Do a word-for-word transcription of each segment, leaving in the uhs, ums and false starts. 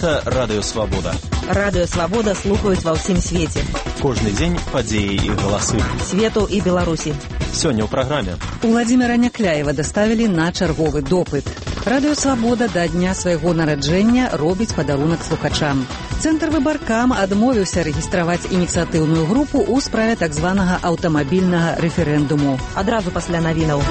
Гэта Радыё Свабода. Радыё Свабода слухаюць ва ўсім свеце. Кожны дзень падзеі і галасы. Свету і Беларусі. Сёння ў праграме. Уладзіміра Някляева даставілі на чарговы допыт. Радыё Свабода да дня свайго нараджэння робіць падарунак слухачам. Цэнтр Выбаркам адмовіўся рэгістраваць ініцыятыўную групу ў справе так званага аўтамабільнага рэферэндуму. Адразу пасля навінаў.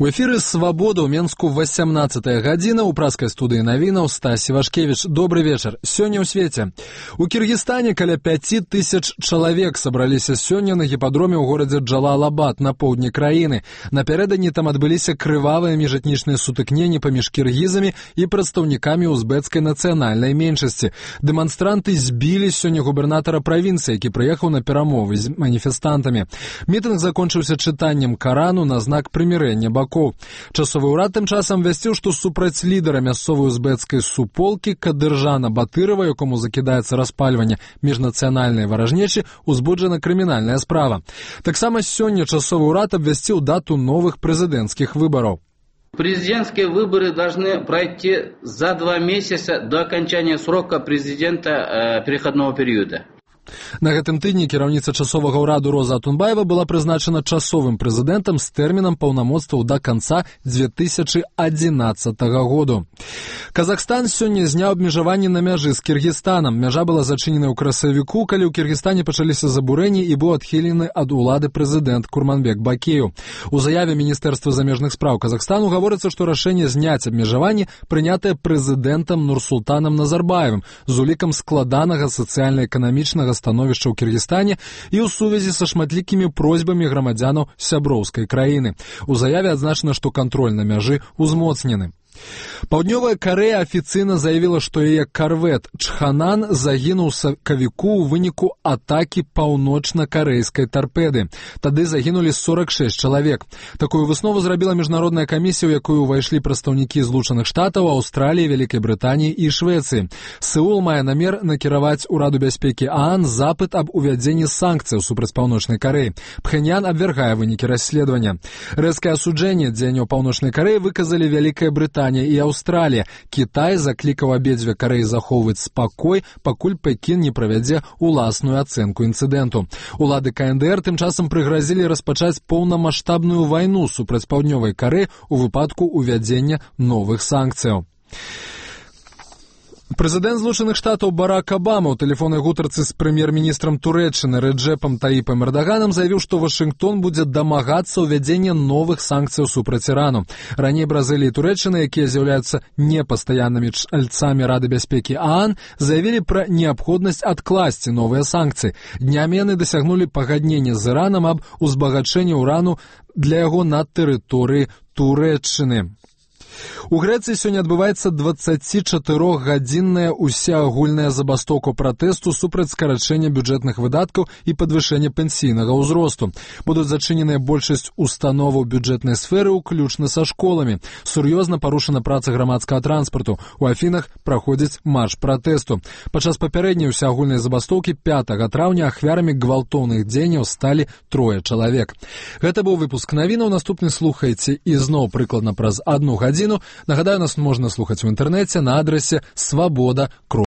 У эфіры «Свабода» ў Менску васямнаццатая гадзіна, у праскай студыі навінаў Стась Івашкевіч. Добры вечар. Сёння ў свеце. У Кіргізстане каля пяці тысяч чалавек сабраліся сёння на гіпадроме ў горадзе Джалалабад на поўдні краіны. Напярэдадні там адбыліся крывавыя міжэтнічныя сутыкненні паміж кіргізамі і прадстаўнікамі узбецкай нацыянальнай меншасці. Дэманстранты збілі сёння губернатара правінцыі, які прыехаў на перамовы з маніфестантамі. Мітынг закончыўся чытаннем Карану на знак прымірэння бакоў. Часовы ўрад тым часам вясціў, што супраць лідара мясцовай узбецкай суполкі Кадыржана Батырова, якому закідаецца распальванне міжнацыянальнай варажнечы, узбуджана крымінальная справа. Таксама сёння часовы ўрад абвясціў дату новых прэзідэнцкіх выбараў. Президентские выборы должны пройти за два месяца до окончания срока президента э, переходного периода. На гэтым тыдні кіраўніца часовага ўраду Роза Атунбаева была прызначана часовым прэзідэнтам з тэрмінам паўнамоцтваў да канца дзве тысячы адзінаццатага году. Казахстан сёння зняў абмежаванні на мяжы з Кіргізстанам. Мяжа была зачынена ў красавіку, калі ў Кіргізстане пачаліся забурэнні і быў адхілены ад улады прэзідэнт Курманбек Бакеев. У заяве Міністэрства замежных спраў Казахстану гаворыцца, што рашэнне зняць абмежаванні прынятае прэзідэнтам Нурсултанам Назарбаевым з улікам складанага сацыяльна-эканамічнага становішча ў Кіргізстане і ў сувязі са шматлікімі просьбамі грамадзянаў сяброўскай краіны. У заяве адзначана, што кантроль на мяжы ўзмоцнены. Паўднёвая Карэя афіцыйна заявіла, што яе карвет «Чханан» загінуў сакавіку ў выніку атакі паўночна-карэйскай тарпеды. Тады загінулі сорак шэсць чалавек. Такую выснову зрабіла міжнародная камісія, у якую ўвайшлі прадстаўнікі Злучаных Штатаў, Аўстраліі, Вялікай Брытаніі і Швецыі. Сеул мае намер накіраваць Ураду бяспекі ААН запыт аб увядзенні санкцыяў супраць Паўночнай Карэі. Пхэньян абвяргае вынікі расследавання. Рэзкае асуджэнне дзеянняў Паўночнай Карэі выказалі Вялікая Брытанія і Аўстралія. Кітай заклікаў абедзве Карэі захоўваць спакой, пакуль Пекін не правядзе уласную ацэнку інцыдэнту. Улады КНДР тым часам прыгразілі распачаць поўнамаштабную вайну супраць Паўднёвай Карэі у выпадку увядзення новых санкцыяў. Прэзідэнт Злучаных Штатаў Барак Абама ў тэлефоннай гутарцы з прэм'ер-міністрам Турэччыны Рэджэпам Таіпам Эрдаганам заявіў, што Вашынгтон будзе дамагацца ўвядзення новых санкцыяў супраць Ірану. Раней Бразылія і Турэччына, якія з'яўляюцца непастаяннымі чальцамі Рады бяспекі ААН, заявілі пра неабходнасць адкласці новыя санкцыі. Днямі яны дасягнулі пагаднення з Іранам аб узбагачэнні ўрану для яго на тэрыторыі Турэччыны. У Грэцыі сёння адбываецца дваццацічатырохгадзінная усеагульная забастоўка пратэсту супраць скарачэння бюджэтных выдаткаў і падвышэння пенсійнага ўзросту. Будуць зачыненыя большасць установаў бюджэтнай сферы, уключна са школамі. Сур'ёзна парушана праца грамадскага транспарту. У Афінах праходзіць марш пратэсту. Падчас папярэдняй усеагульнай забастоўкі пятага траўня ахвярамі гвалтоўных дзеянняў сталі трое чалавек. Гэта быў выпуск навінаў. Наступны слухайце ізноў прыкладна праз адну гадзіну. Нагадаю, нас можна слухаць у інтэрнэце на адрасе свабода.